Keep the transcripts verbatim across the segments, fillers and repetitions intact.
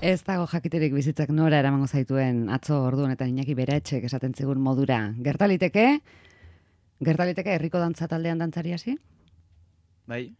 Ez dago jakiterik bizitzak nora eramango zaituen atzo orduan eta Iñaki Beretxek esaten zigun modura. Gertaliteke, gertaliteke herriko dantza taldean dantzari hasi? Bai.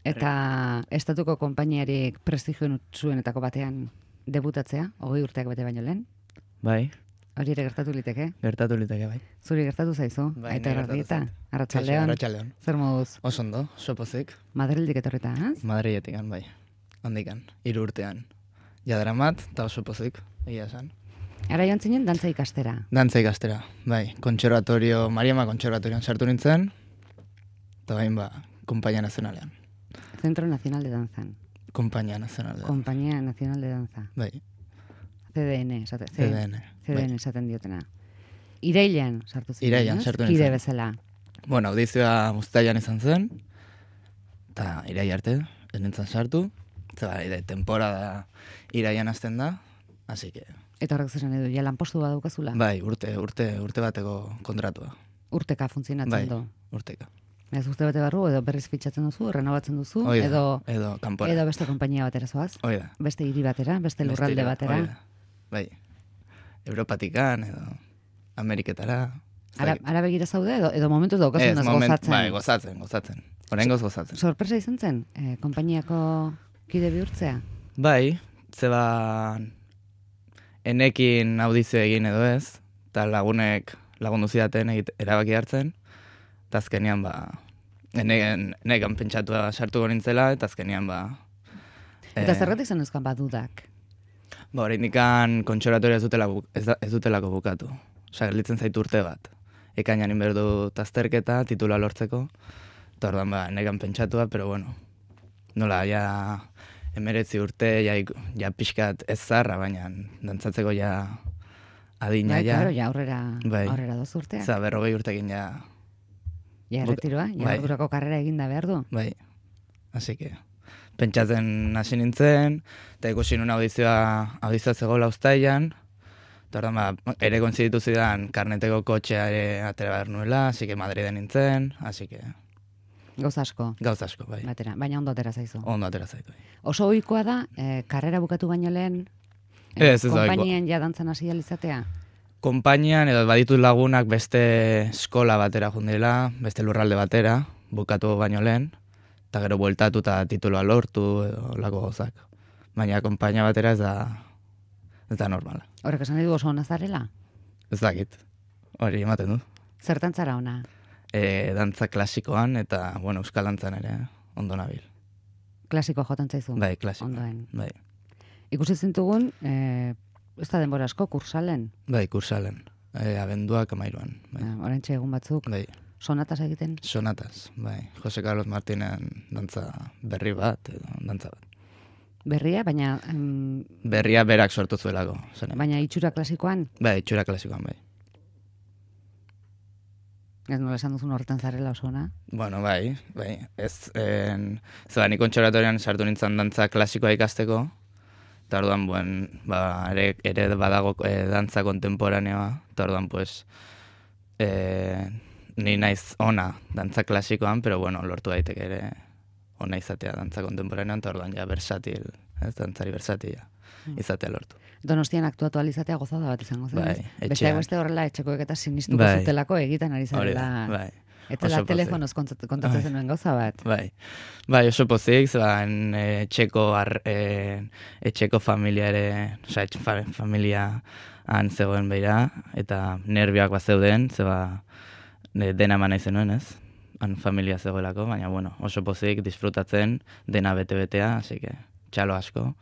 Eta estatuko konpainiarik prestigio zuenetako batean debutatzea, hogei urteak bete baino lehen? Bai. Hori ere gertatu liteke? Gertatu liteke, bai. Zuri gertatu zaizu? Bai, Aita niri gertatu Garrieta? zait. Arratsaldeon? Arratsaldeon. Zer moduz? Oso ondo, sopozik. Madrildik etorrita, az? Madriletik, bai. Handikan, hiru urtean. Jadaramat, eta oso pozik, egia esan. Ara joan zinen dantza ikastera. Dantza ikastera, bai. Kontserbatorio, Mariama kontserbatorioan sartu nintzen, eta bain ba, Kompainia Nazionalean. Centro Nacional de Danzan. Kompainia Nazionalean. Kompainia Nacional de Danza. Bai. C D N, esate, C D N. C D N Bai. esaten diotena. Irailean sartu zinen, Irailean ez? sartu Kide nintzen. bezala. Bueno, audizioa uztailan izan zen, eta irai arte, ez nintzen sartu, eta bai, temporada iraian hasten da, así que... Eta horrek zesan edu, ja lanpostu bat daukazula? Bai, urte, urte, urte bateko kontratua. Urteka funtzionatzen Bai, du. urteka. Ez urte bate barru, edo berriz fitxatzen duzu, renovatzen duzu, Hoi da, edo, edo kanpora. edo beste konpainia batera zoaz, Hoi da. beste hiri batera, beste lurralde Bestera, batera. hoi da. Bai. Europatikan, edo Ameriketara. ez Ara, dakit. ara begira zaude, edo, edo momentuz Ez, daukazunaz moment, gozatzen. bai, gozatzen, gozatzen. Oraingoz gozatzen. Sorpresa izan zen, eh, konpainiako kide bihurtzea? Bai, zeba enekin audizio egin edo ez, eta lagunek lagundu zidaten egit, erabaki hartzen, eta azkenean ba, ene- enekan pentsatua sartu nintzela, eta azkenean ba... Eta eh, zergatik zen euskan badudak? Ba, oraindikan kontserbatorioa ez, dutela, bu- ez, da- ez dutelako bukatu. Osa, gelditzen zaitu urte bat. Ekainan inberdu azterketa, titula lortzeko, eta orduan ba, enekan pentsatua, pero bueno, nola, ja... Emeretzi urte, ja, ik- ja pixkat ez zarra, baina dantzatzeko ja adina Bai, ja. claro, ja aurrera, Bai. aurrera dozu urteak. Za, berrogei urtekin ja, Ja, buk- erretiroa, ja, bai. ordurako karrera eginda behar du. bai. Así que, pentsatzen hasi nintzen, eta ikusi nun audizioa, audizioa zegoela uztailan, eta orduan ba, ere konziditu zidan karneteko kotxea ere atera behar nuela, así que Madriden nintzen, así que, Gauz asko, gauz asko, bai. batera, baina ondo atera zaizu. Ondo atera zaitu. Bai. Oso ohikoa da, eh, karrera bukatu baino lehen, Ez, ez da ohikoa. konpainien ja dantzan hasi ahal izatea. Konpainian edo baditut lagunak beste eskola batera jundela, beste lurralde batera, bukatu baino lehen, eta gero bueltatu eta tituloa lortu edo lako gozak. Baina konpainia batera ez da, ez da normala. Horrek esan nahi du oso ona zarela? Ez dakit, hori ematen du. Zertan zara ona? E, dantza klasikoan eta, bueno, euskal dantzan ere ondo nabil. Klasiko jotan zaizu? Bai, klasikoan. Ondoen. Bai, Ikusi zintugun, eh, ez da denbora asko, kursalen. bai, kursalen. E, abenduak amairuan. Bai, Eh, Oraintxe egun batzuk, bai. sonatas egiten. Sonatas, bai. Jose Carlos Martinen dantza berri bat edo dantza bat. Berria, baina em, Berria berak sortu zuelako. Zen. baina itxura klasikoan, Bai, itxura klasikoan, bai. ez nola esan duzun horretan zarela oso ona. Bueno, bai, bai. Ez, en, zeba, ni kontserbatorian sartu nintzen dantza klasikoa ikasteko, eta orduan, buen, ba, ere, ere badago e, dantza kontemporaneoa, eta orduan, pues, e, ni naiz ona dantza klasikoan, pero bueno, lortu daiteke ere ona izatea dantza kontemporanean, eta orduan ja versatil, ez, dantzari versatila izatea lortu. Donostian aktuatu alizatea gozada bat izango zen. Bai, ez? etxean. Besteak beste horrela etxekoek eta sinistuko Bai. zutelako egiten ari Hori da, zarela. bai. Eta Oso la pozik. telefonoz kontat- kontatzen Bai. zenuen gauza bat. Bai, bai, oso pozik, zeban etxeko, ar, e, etxeko familia ere, oza, etxe, fa, familia han zegoen beira, eta nervioak bat zeuden, zeba e, dena eman nahi zenuen, ez? Han familia zegoelako, baina, bueno, oso pozik, disfrutatzen, dena bete-betea, así que, txalo asko.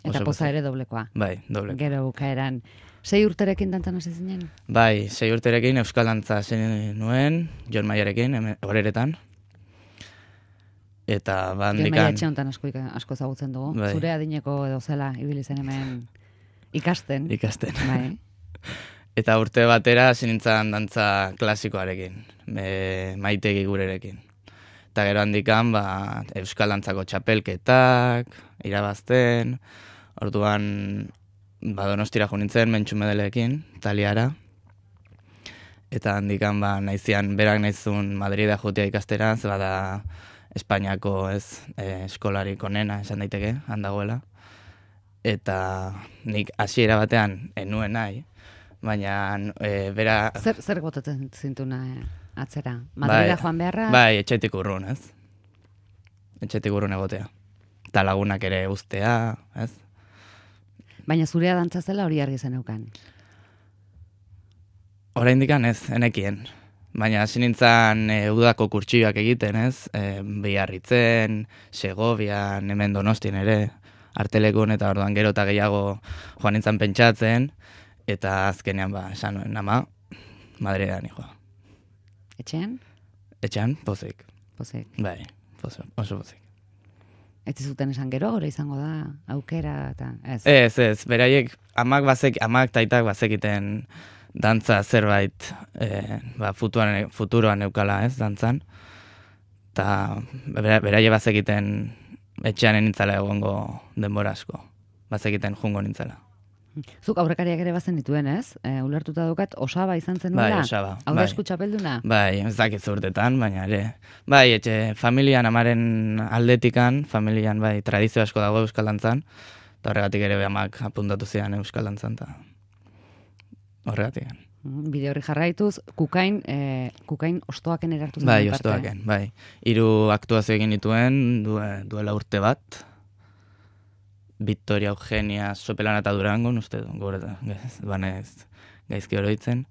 Eta Oso poza pozik. ere doblekoa. Bai, doble. Gero bukaeran. Sei urterekin dantzan hasi zinen? Bai, sei urterekin euskal dantza hasi nuen, Jon Maiarekin, hemen- horeretan. Eta Jon bandikan... Maia etxe honetan asko, ika- asko ezagutzen dugu. Bai. Zure adineko edo zela, ibili zen hemen ikasten. ikasten. Bai. Eta urte batera hasi nintzen dantza klasikoarekin, me, maitegi gurerekin. Eta gero handikan, ba, euskal dantzako txapelketak, irabazten, orduan ba, Donostira jo nintzen, Mentxu Medelekin, Taliara. Eta handikan, ba, naizian, berak naizun Madrida jutia ikastera, ze bada, Espainiako ez, e, eskolarik onena esan daiteke, handagoela. eta nik hasiera batean enuen nahi, baina e, bera... Zer, zer botatzen zintuna eh, atzera? Madrila bai, joan beharra? Bai, etxetik urrun, ez? Etxetik urrun egotea. Eta lagunak ere ustea, ez? Baina zurea dantza zela hori argi zeneukan. Oraindikan ez, enekien. Baina hasi nintzen e, udako kurtsioak egiten, ez? E, Biarritzen, Segovian, hemen Donostien ere, artelekun eta orduan gero eta gehiago joan nintzen pentsatzen, eta azkenean ba, esan nuen, ama, Madrilean joa. Etxean? Etxean, pozik. Pozik. Bai, pozik, oso pozik. Ez zuten esan gero, gero izango da, aukera, eta ez. Ez, ez, beraiek, amak bazek, amak taitak bazekiten dantza zerbait, e, ba, futuan, futuroan eukala, ez, dantzan. Eta beraie bazekiten etxean nintzala egongo denbora asko. Bazekiten jungo nintzala. Zuk aurrekariak ere bazen dituen, ez? E, ulertuta dukat, Osaba izan zen Bai, nuela? Osaba. Aurre Bai. esku txapelduna? Bai, ez dakit urtetan, baina ere. Bai, etxe, familian amaren aldetikan, familian bai, tradizio asko dago euskal dantzan, eta horregatik ere amak apuntatu zian euskal dantzan, eta horregatik. Bide horri jarraituz, kukain, e, kukain ostoaken erartu zen Bai, parte. ostoaken, bai. Hiru aktuazio egin dituen, du, duela urte bat, Victoria Eugenia Sopelana eta Durangon, uste du, gure, banez gaizki oroitzen.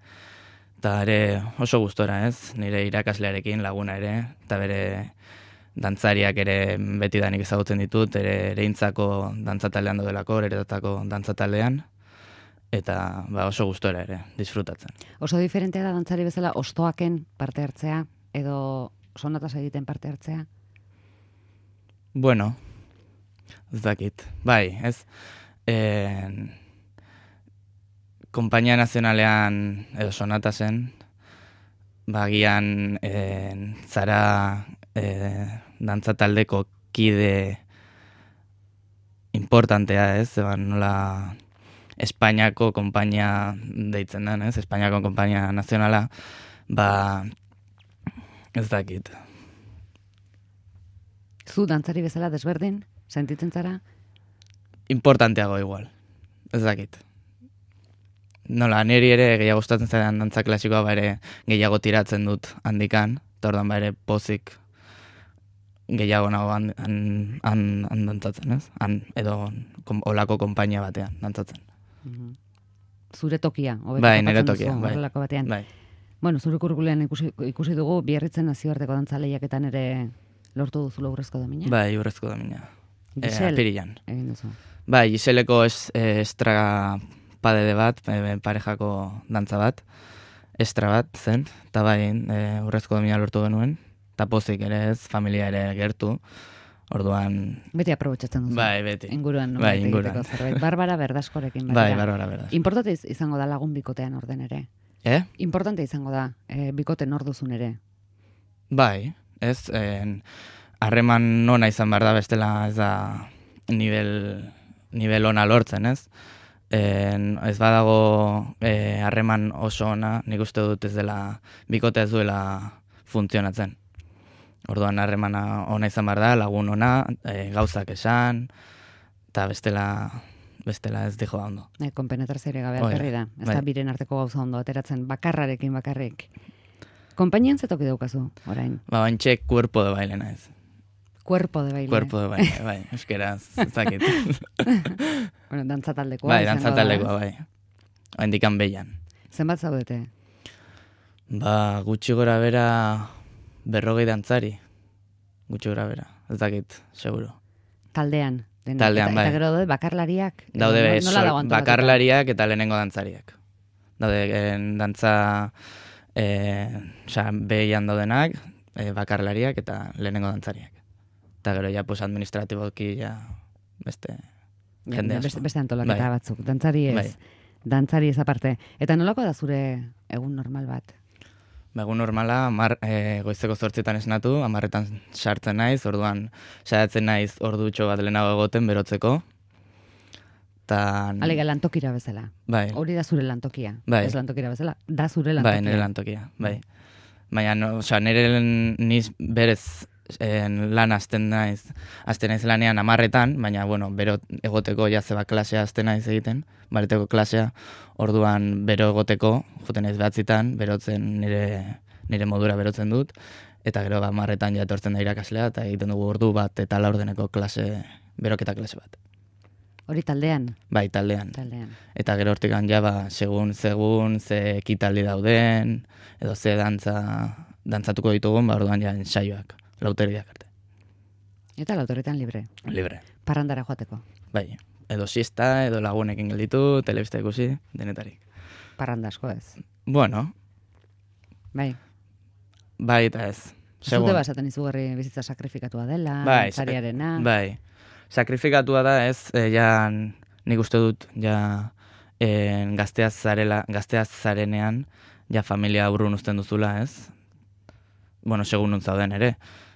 Eta ere oso gustora, ez? Nire irakaslearekin laguna ere, eta bere dantzariak ere beti danik ezagutzen ditut, ere ereintzako dantzataldean dodelako, eretatako dantzataldean, eta ba, oso gustora ere, disfrutatzen. Oso diferentea da dantzari bezala ostoaken parte hartzea, edo sonatas egiten parte hartzea? Bueno, ez dakit. Bai, ez? En... Kompainia nazionalean edo sonatasen, bagian en, zara e, dantzataldeko kide importantea, ez? Eban nola Espainiako konpainia deitzen den, ez? Espainiako konpainia nazionala, ba, ez dakit. Zu dantzari bezala desberdin, sentitzen zara? Importanteago igual, ez dakit. Nola, niri ere gehiago gustatzen zaidan dantza klasikoa ba ere gehiago tiratzen dut handikan, eta orduan ba ere pozik gehiago nago han, han, han, han dantzatzen, ez? Han, edo kom, olako konpainia batean dantzatzen. Zure tokia, hobeto Bai, nire topatzen tokia, duzu, bai. horrelako batean. Bai. Bueno, zure kurrikulean ikusi, ikusi dugu, Biarritzen nazioarteko dantza lehiaketan ere lortu duzu urrezko domina? Bai, urrezko domina. Gisel, E, apirilan. egin duzu. Bai, Giseleko es, e, estra padede bat, e, parejako dantza bat, estra bat zen, eta bai, e, urrezko domina lortu genuen, eta pozik ere ez, familia ere gertu, orduan... Beti aprobetxatzen duzu. Bai, beti. Inguruan, bai, nolabait inguruan. egiteko zerbait. Barbara Berdaskorekin. Bai, Barbara Berdas. Importante iz- izango da lagun bikotean orden ere. Eh? Importante izango da, e, bikote nor duzun ere. Bai, ez, en, harreman nona izan behar da, bestela ez da nivel, nivel ona lortzen, ez? En, ez badago eh, harreman oso ona, nik uste dut ez dela, bikote ez duela funtzionatzen. Orduan harremana ona izan behar da, lagun ona, e, gauzak esan, eta bestela, bestela ez dijo da ondo. E, konpenetrazioare gabe Hoi da, alperri da. Ez bai. da biren arteko gauza ondo ateratzen, bakarrarekin bakarrik. Konpainian zetoki daukazu, orain? Ba, baintxe cuerpo de baile naiz. Cuerpo de baile. Cuerpo de baile, bai, euskeraz, ez dakit. Bueno, dantzataldekoa Bai, izango da, dantzataldekoa, ez? bai. Oendikan behian. Zenbat zaudete? Ba, gutxi gora bera berrogei dantzari. Gutxi gora bera, ez dakit, seguro. Taldean. denak. Taldean, eta, bai. Eta gero daude bakarlariak. Edo Daude no- be, nola sol- dago antolatuta? bakarlariak eta lehenengo dantzariak. Daude en, dantza e, oza, behian daudenak, e, bakarlariak eta lehenengo dantzariak. Eta gero ja pues, administratiboki ja beste Ja, jende beste, asko. beste antolaketa Bai. batzuk. Dantzari ez. Bai. Dantzari ez aparte. Eta nolako da zure egun normal bat? Ba, egun normala, amar, e, goizeko zortzietan esnatu, amarretan sartzen naiz, orduan saiatzen naiz ordutxo bat lehenago egoten berotzeko. Tan... Alega lantokira bezala. Bai, Hori da zure lantokia. Bai. Ez lantokira bezala, da zure lantokia. bai, nire lantokia, bai. Baina, no, osea, nire niz berez en, lan azten naiz, azten naiz lanean amarretan, baina, bueno, bero egoteko ja zeba klasea azten naiz egiten, bareteko klasea, orduan bero egoteko, joten naiz behatzitan, berotzen nire, nire modura berotzen dut, eta gero ba, amarretan ja etortzen da irakaslea, eta egiten dugu ordu bat eta laurdeneko klase, beroketa klase bat. Hori taldean? Bai, taldean. Taldean. Eta gero hortikan ja, ba, segun, segun, ze ekitaldi dauden, edo ze dantza, dantzatuko ditugun, ba, orduan ja ensaioak, lauteriak arte. Eta lauterretan libre? Libre. Parrandara joateko? Bai, edo siesta, edo lagunekin gelditu, telebista ikusi, denetarik. Parranda asko ez? Bueno. Bai. Bai, eta ez. Zute basaten izugarri bizitza sakrifikatua dela, bai, zariarena. Bai, sakrifikatua da ez, e, ja nik uste dut, ja e, gazteaz zarela, gazteaz zarenean, ja familia urrun uzten duzula ez. Bueno, segun nuntza zauden ere,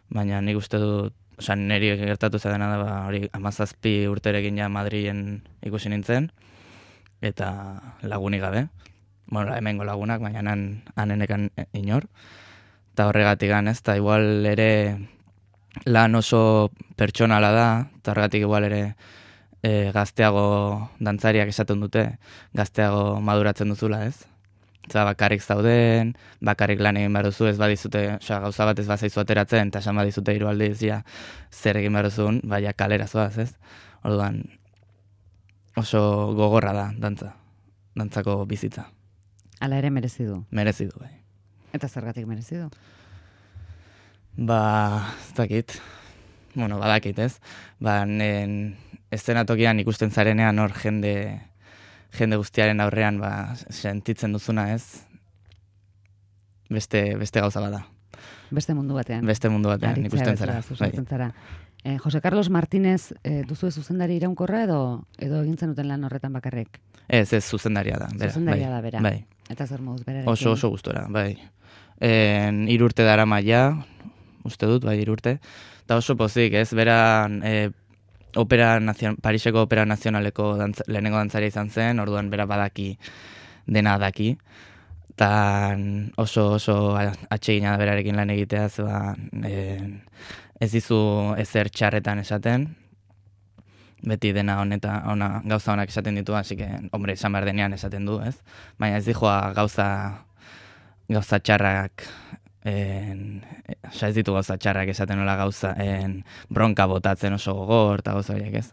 baina nik uste dut, oza, niri gertatu zadena da, ba, hori amazazpi urterekin ja Madrilen ikusi nintzen, eta lagunik gabe. Bueno, hemengo lagunak, baina han, hanenekan inor. Eta horregatik gan, ez, eta igual ere lan oso pertsonala da, eta horregatik igual ere e, gazteago dantzariak esaten dute, gazteago maduratzen duzula, ez? Eta bakarrik zauden, bakarrik lan egin behar duzu, ez badizute, oza, gauza bat ez bazaizu ateratzen, eta esan badizute hiru aldiz, ja, zer egin behar duzun, baina kalera zoaz, ez? Orduan, oso gogorra da, dantza, dantzako bizitza. Hala ere merezi du. Merezi du, bai. Eta zergatik merezi du? Ba, ez dakit. Bueno, badakit, ez? Ba, nen, eszenatokian ikusten zarenean hor jende, jende guztiaren aurrean, ba, sentitzen duzuna, ez? Beste, beste gauza bada. Beste mundu batean. Beste mundu batean, ikusten zara. Bai. Zara. Eh, Jose Carlos Martínez, eh, duzu zuzendari iraunkorra edo edo egintzen duten lan horretan bakarrik? Ez, ez, zuzendaria da. Bera, zuzendaria bai, da, bera. Bai. Eta zer moduz berarekin? Oso, oso gustora, bai. En, irurte dara maia, uste dut, bai, irurte. Eta oso pozik, ez, bera e, opera nazion, Pariseko Opera Nazionaleko dantza, lehenengo dantzaria izan zen, orduan bera badaki, dena daki. Eta oso, oso atsegina da berarekin lan egitea, zeba, e, ez dizu ezer txarretan esaten, beti dena honeta, ona, gauza honak esaten ditu, hasi que, hombre, esan behar denean esaten du, ez? Baina ez dijoa gauza, gauza txarrak, en, oza, ez ditu gauza txarrak esaten nola gauza, en, bronka botatzen oso gogor, eta gauza horiek, ez?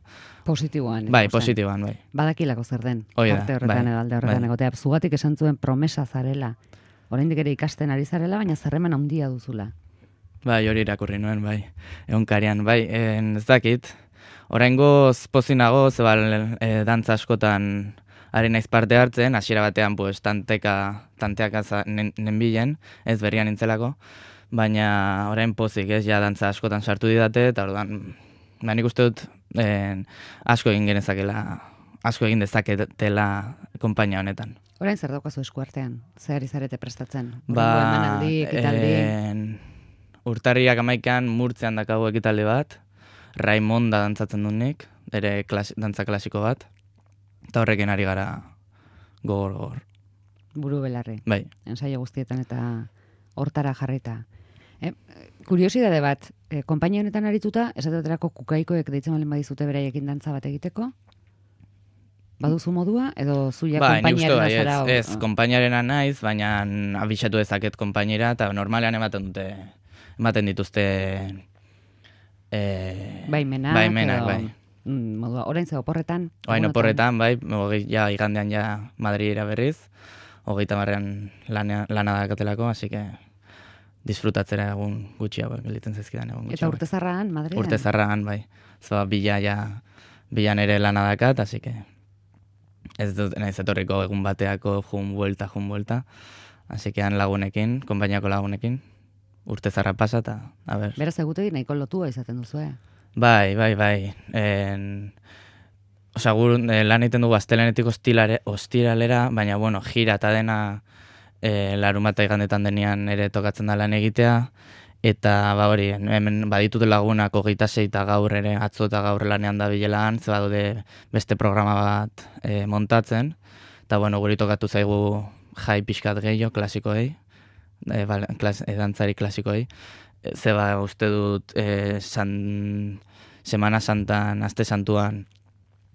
Positiboan. Bai, positiboan, bai. Badakilako zer den, Oida, arte horretan bai, edo alde horretan bai. egotea. Zugatik esan zuen promesa zarela, oraindik ere ikasten ari zarela, baina zerremen handia duzula. Bai, hori irakurri nuen, bai, egunkarian, bai, en, ez dakit, oraingoz pozinago, zeba e, dantza askotan ari naiz parte hartzen, hasiera batean pues, tanteka, tanteak nenbilen, ez berrian nintzelako, baina orain pozik, ez, ja dantza askotan sartu didate, eta orduan, ba, nik uste dut, en, asko egin genezakela, asko egin dezaketela konpainia honetan. Orain zer daukazu eskuartean? Zer ari zarete prestatzen? Ba, emanaldi, ekitaldi? En, urtarriak amaikan murtzean dakago ekitaldi bat, Raimonda dantzatzen du nik, ere klas, dantza klasiko bat, eta horrekin ari gara gogor gogor. Buru belarri. Bai. Ensaio guztietan eta hortara jarrita. Eh, kuriosidade bat, eh, konpainia honetan arituta, esateterako kukaikoek deitzen balen badizute beraiekin dantza bat egiteko? Baduzu modua, edo zuia bai, konpainiaren bai, azara? ez, ez konpainiarena naiz, baina abisatu dezaket konpainiera, eta normalean ematen dute, ematen dituzte E, baimenak, baimenak, edo, bai. Mm, modua, orain ze oporretan? Orain oporretan, bai, hogei, ja, igandean ja Madridera berriz, hogeita marrean lana, lana dakatelako, así que disfrutatzera egun gutxi hauek, gelditzen zaizkidan egun gutxi. Eta urte zarragan, Madrilen? Urte zarragan, bai. Zoa, bila, ja, bilan ere lana dakat, así que ez dut nahiz etorriko egun bateako jun buelta, jun buelta, así que han lagunekin, konpainiako lagunekin, urte zarra pasa, eta, a ber. Beraz egutegi nahiko lotua izaten duzu, eh? Bai, bai, bai. En, Osa, gur, eh, lan egiten dugu astelenetik ostilare, ostiralera, baina, bueno, gira eta dena eh, larunbata igandetan denean ere tokatzen da lan egitea, eta, ba hori, hemen baditut lagunak hogeita sei eta gaur ere, atzo eta gaur lanean da bilelan, ze badaude beste programa bat eh, montatzen, eta, bueno, guri tokatu zaigu jai pixkat gehiago, klasikoei, E, bal, klas, e, dantzari klasikoei, zeba uste dut e, san, Semana Santan, Aste Santuan,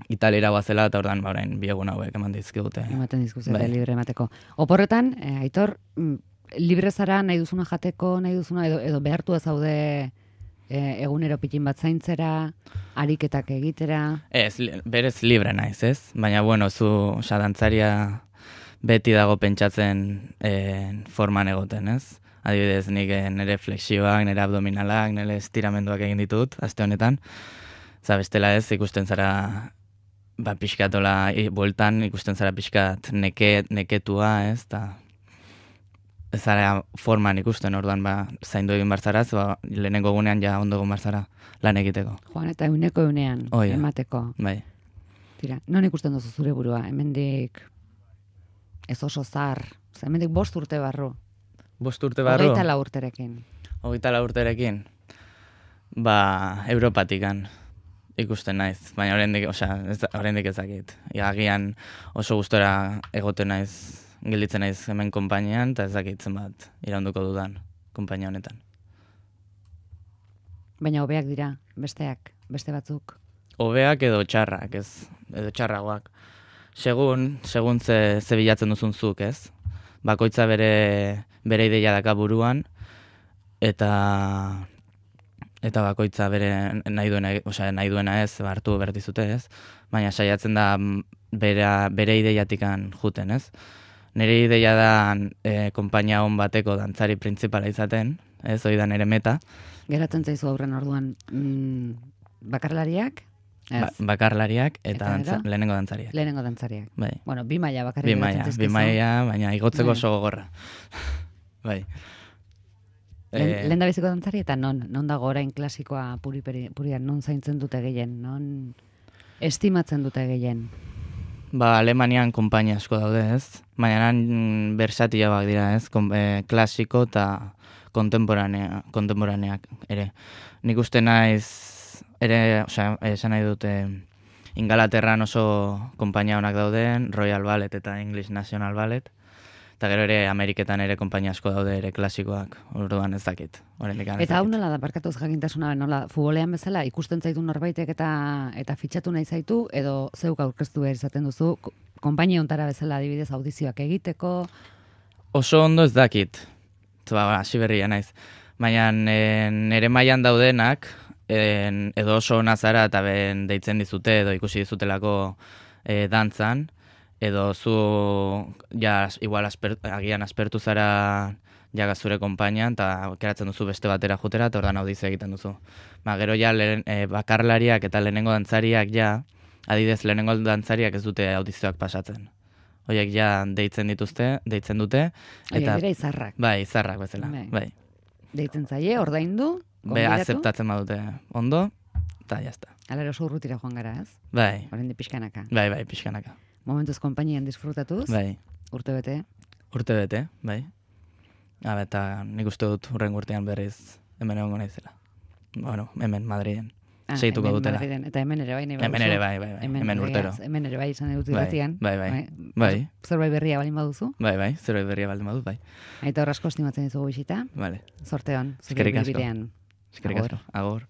Italiara guazela, eta ordan, ba, orain, bi egun hauek eman dizkigute. Ematen dizkuzete Bai. libre emateko. Oporretan, eh, Aitor, mm, libre zara nahi duzuna jateko, nahi duzuna, edo, edo behartu zaude eh, egunero pitin bat zaintzera, ariketak egitera. Ez, li- berez libre naiz, ez? Baina, bueno, zu, oza, dantzaria beti dago pentsatzen eh, forman egoten, ez? Adibidez, nik eh, nire flexioak, nire abdominalak, nire estiramenduak egin ditut, aste honetan. Za, bestela ez, ikusten zara, ba, pixkatola, i, bueltan ikusten zara pixkat neke, neketua, ez? Ta, ez zara forman ikusten, orduan, ba, zaindu egin barzaraz, ba, lehenengo gunean ja ondo egon barzara lan egiteko. Joan, eta euneko eunean Hoi da. emateko. Bai. Tira, non ikusten duzu zure burua, hemendik ez oso zar, ze hemendik bost urte barru, Bost urte barru? hogeita lau urterekin. Hogeita lau urterekin? Ba, Europatikan ikusten naiz, baina oraindik, osea, ez da- oraindik ez dakit. Ja, agian oso gustora egoten naiz, gelditzen naiz hemen konpainian, eta ez dakit zenbat iraunduko dudan konpainia honetan. Baina hobeak dira, besteak, beste batzuk. Hobeak edo txarrak, ez, edo txarragoak. Segun, segun ze, ze bilatzen duzun zuk, ez? Bakoitza bere, bere ideia daka buruan, eta eta bakoitza bere nahi duena, osea, nahi duena ez, ba, hartu berdizute, ez? Baina saiatzen da mm, bera, bere ideiatikan juten, ez? Nire ideia da e, konpainia on bateko dantzari printzipala izaten, ez, hori da nire meta. Geratzen zaizu aurren orduan mm, bakarlariak, ez, Ba, bakarlariak eta, Eta dantza, gero? lehenengo dantzariak. lehenengo dantzariak. Bai. Bueno, bi maila bakarrik Bi geratzen maila, zaizkizu. bi maila, baina igotzeko Bai. oso gogorra. Bai. Lehen, Eh, lehen da biziko dantzari eta non, non dago orain klasikoa puri, puri, purian, non zaintzen dute gehien, non estimatzen dute gehien. Ba, Alemanian konpainia asko daude, ez? Baina nan bersatiagoak dira, ez? Kon, e, klasiko eta kontemporanea, kontemporaneak ere. Nik uste naiz, ere, osea, esan nahi dute, Ingalaterran oso konpainia honak dauden, Royal Ballet eta English National Ballet, eta gero ere Ameriketan ere konpainia asko daude ere klasikoak, orduan ez dakit. Oraindik ez Eta hau dakit. nola da, barkatuz jakintasuna, nola, futbolean bezala, ikusten zaitu norbaitek eta eta fitxatu nahi zaitu, edo zeuk aurkeztu behar izaten duzu, ko- konpainia ontara bezala adibidez audizioak egiteko, Oso ondo ez dakit. Ba, hasi berria naiz. Baina e, nere mailan daudenak, en, edo oso ona zara eta ben deitzen dizute edo ikusi dizutelako e, dantzan, edo zu ja igual asper, agian aspertu zara ja zure konpainian eta aukeratzen duzu beste batera jutera eta ordan audizio egiten duzu. Ba, gero ja lehen, e, bakarlariak eta lehenengo dantzariak ja, adidez lehenengo dantzariak ez dute audizioak pasatzen. Hoiek ja deitzen dituzte, deitzen dute, horiek eta dira izarrak. bai, izarrak bezala, Bai. bai. Deitzen zaie, ordaindu, Be, gonbidatu, azeptatzen badute ondo, eta jazta. ala oso urrutira joan gara, ez? Bai, Oraindik pixkanaka. bai, bai, pixkanaka. Momentuz konpainian disfrutatuz, Bai, urte bete, urte bete, bai. Habe, eta nik uste dut hurren urtean berriz hemen egongo naizela. Bueno, hemen Madriden. Ah, Seituko hemen dutela. Madriden, eta hemen ere bai, nahi Hemen baduzu. ere bai, bai, bai, hemen egiaz, urtero. Hemen ere bai izan dut Bai, irratian. bai, bai, bai. Zerbait berria baldin baduzu. Bai, bai, zerbait berria baldin badut, bai. Aita horrasko estimatzen dizugu bisita. Vale. Zorte hon, zure Eskerrik asko. ibilbidean. Eskerrik Agur. asko. Agur.